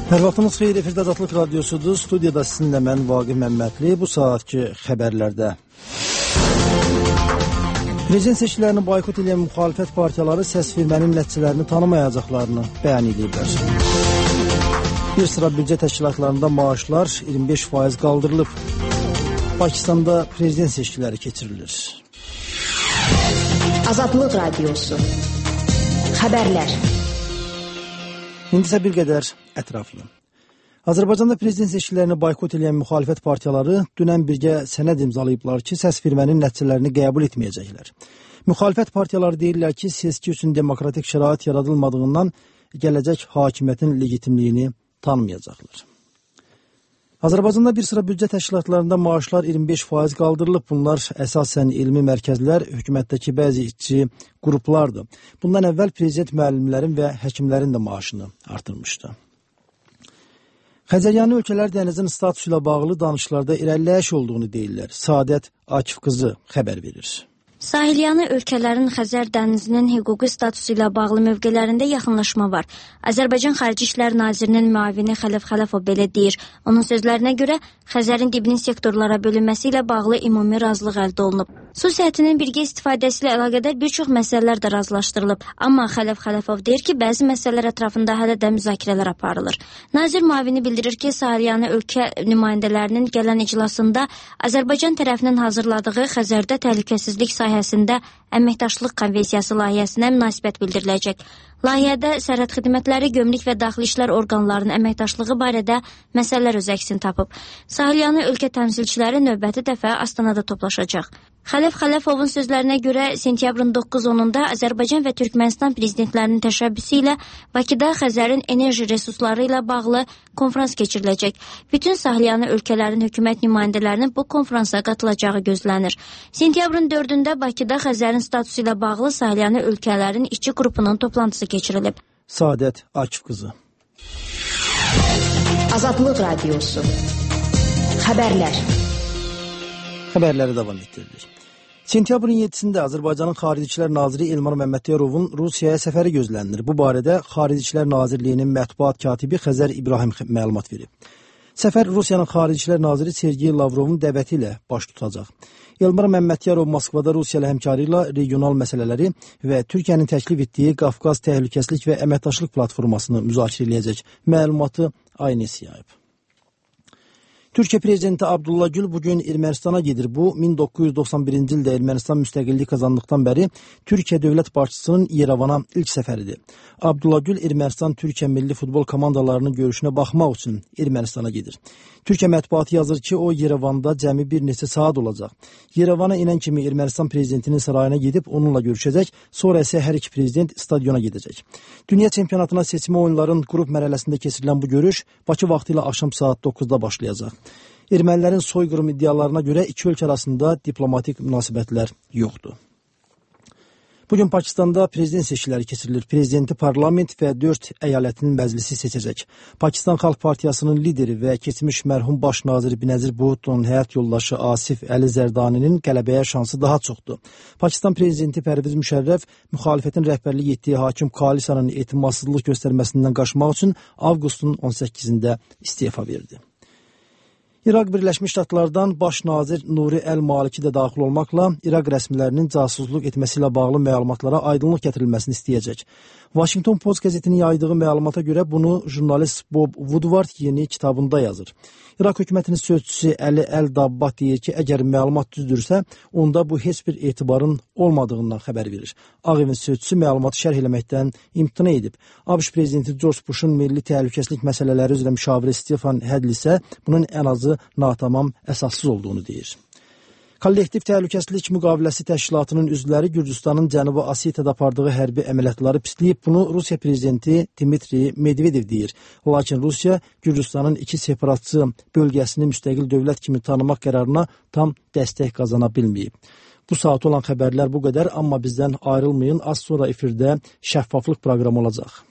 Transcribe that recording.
Hər vaxtınız xeyir, efirdə Azadlıq Radiosudur. Studiyada sizinlə mən Vaqif Məmmədli. Bu saatki xəbərlərdə. Prezident seçkilərini boykot edən müxalifət partiyaları səsvermənin nəticələrini tanımayacaqlarını bəyan ediblər. Bir sıra büdcə təşkilatlarında maaşlar 25% qaldırılıb. Pakistanda prezident seçkiləri keçirilir. Azadlıq Radiosu. Xəbərlər. İndi isə bir qədər ətraflı. Azərbaycanda prezident seçkilərini boykot edən müxalifət partiyaları dünən birgə sənəd imzalayıblar ki, səsvermənin nəticələrini qəbul etməyəcəklər. Müxalifət partiyaları deyirlər ki, seçki üçün demokratik şərait yaradılmadığından gələcək hakimiyyətin legitimliyini tanımayacaqlar. Azərbaycanda bir sıra büdcə təşkilatlarında maaşlar 25% qaldırılıb. Bunlar əsasən elmi mərkəzlər, hökumətdəki bəzi işçi qruplardır. Bundan əvvəl prezident müəllimlərin və həkimlərin də maaşını artırmışdı. Xəzəryanı ölkələr dənizin statusu ilə bağlı danışıqlarda irəliləyiş olduğunu deyirlər. Səadət Akif qızı xəbər verir. Sahilyanı ölkələrin Xəzər dənizinin hüquqi statusu ilə bağlı mövqelərində yaxınlaşma var. Azərbaycan Xarici İşlər Nazirinin müavini Xələf Xələfov belə deyir. Onun sözlərinə görə Xəzərin dibinin sektorlara bölünməsi ilə bağlı ümumi razılıq əldə olunub. Su səthinin birgə istifadəsi ilə əlaqədar bir çox məsələlər də razılaşdırılıb. Amma Xələf Xələfov deyir ki, bəzi məsələlər ətrafında hələ də müzakirələr aparılır. Nazir müavini bildirir ki, Sahilyanı ölkə nümayəndələrinin gələn iclasında Azərbaycan tərəfinin hazırladığı Xəzərdə təhlükəsizlik sahəsində əməkdaşlıq konvensiyası layihəsinə münasibət bildiriləcək. Layihədə sərhəd xidmətləri, gömrük və daxili işlər orqanlarının əməkdaşlığı barədə məsələlər öz əksini tapıb. Sahilyanı ölkə təmsilçiləri növbəti dəfə Astanada toplaşacaq. Xələf Xələfovun sözlərinə görə sentyabrın 9-10-da Azərbaycan və Türkmənistan prezidentlərinin təşəbbüsü ilə Bakıda Xəzərin enerji resursları ilə bağlı konfrans keçiriləcək. Bütün Sahilyanı ölkələrin hökumət nümayəndələrinin bu konfransa qatılacağı gözlənir. Sentyabrın 4-də Bakıda Xəzərin statusu ilə bağlı Sahilyanı ölkələrin işçi qrupunun toplantısı keçirilib. Səadət Akif qızı. Azadlıq Radiosu. Xəbərlər. Xəbərləri davam etdirilir. Sentyabrın 7-də Azərbaycanın Xarici İşlər Naziri Elmar Məmmədyarovun Rusiyaya səfəri gözlənilir. Bu barədə Xarici İşlər Nazirliyinin mətbuat katibi Xəzər İbrahim məlumat verib. Səfər Rusiyanın Xarici İşlər Naziri Sergey Lavrovun dəvəti ilə baş tutacaq. Elmar Məmmədyarov Moskvada Rusiya ilə həmkarı ilə regional məsələləri və Türkiyənin təklif etdiyi Qafqaz Təhlükəsizlik və Əməkdaşlıq platformasını müzakirə edəcək. Məlumatı Aynes yayıb. Türkiyə prezidenti Abdullah Gül bugün Ermənistana gedir. Bu, 1991-ci ildə Ermənistan müstəqillik qazandıqdan bəri Türkiyə dövlət başçısının İrəvana ilk səfəridir. Abdullah Gül Ermənistan-Türkiyə milli futbol komandalarının görüşünə baxmaq üçün Ermənistana gedir. Türkiyə mətbuatı yazır ki, o İrəvanda cəmi bir neçə saat olacaq. İrəvana inən kimi Ermənistan prezidentinin sarayına gedib onunla görüşəcək, sonra isə hər iki prezident stadiona gedəcək. Dünya çempionatına seçmə oyunların qrup mərhələsində keçirilən bu görüş Bakı vaxtı ilə axşam saat 9-da başlayacaq. Ermənilərin soyqırım iddialarına görə iki ölkə arasında diplomatik münasibətlər yoxdur. Bugün Pakistanda prezident seçkiləri keçirilir. Prezidenti parlament və 4 əyalətinin məclisi seçəcək. Pakistan Xalq Partiyasının lideri və keçmiş mərhum baş naziri Binəzir Bhutto'nun həyat yoldaşı Asif Əli Zərdaninin qələbəyə şansı daha çoxdur. Pakistan prezidenti Pərviz Müşərrəf müxalifətin rəhbərlik etdiyi hakim koalisiyanın etimadsızlıq göstərməsindən qaçmaq üçün avqustun 18-də istefa verdi. İraq Birləşmiş Ştatlardan baş nazir Nuri Əl-Maliki də daxil olmaqla İraq rəsmilərinin casusluq etməsi ilə bağlı məlumatlara aydınlıq gətirilməsini istəyəcək. Washington Post qəzetinin yaydığı məlumata görə bunu jurnalist Bob Woodward yeni kitabında yazır. İraq hökumətinin sözçüsü Əli Əl-Dabbat deyir ki, əgər məlumat düzdürsə, onda bu heç bir etibarın olmadığından xəbər verir. Ağ Evin sözçüsü məlumatı şərh eləməkdən imtina edib. ABŞ prezidenti George Bush'un milli təhlükəsizlik məsələləri üzrə müşaviri Stefan Hadley isə bunun ən azı natamam, əsassız olduğunu deyir. Kollektiv Təhlükəsizlik Müqaviləsi Təşkilatının üzvləri Gürcüstanın Cənubi Osetiyada apardığı hərbi əməliyyatları pisləyib. Bunu Rusiya prezidenti Dmitri Medvedev deyir. Lakin Rusiya Gürcüstanın iki separatçı bölgəsini müstəqil dövlət kimi tanımaq qərarına tam dəstək qazana bilməyib. Bu saat olan xəbərlər bu qədər, amma bizdən ayrılmayın. Az sonra efirdə şəffaflıq proqramı olacaq.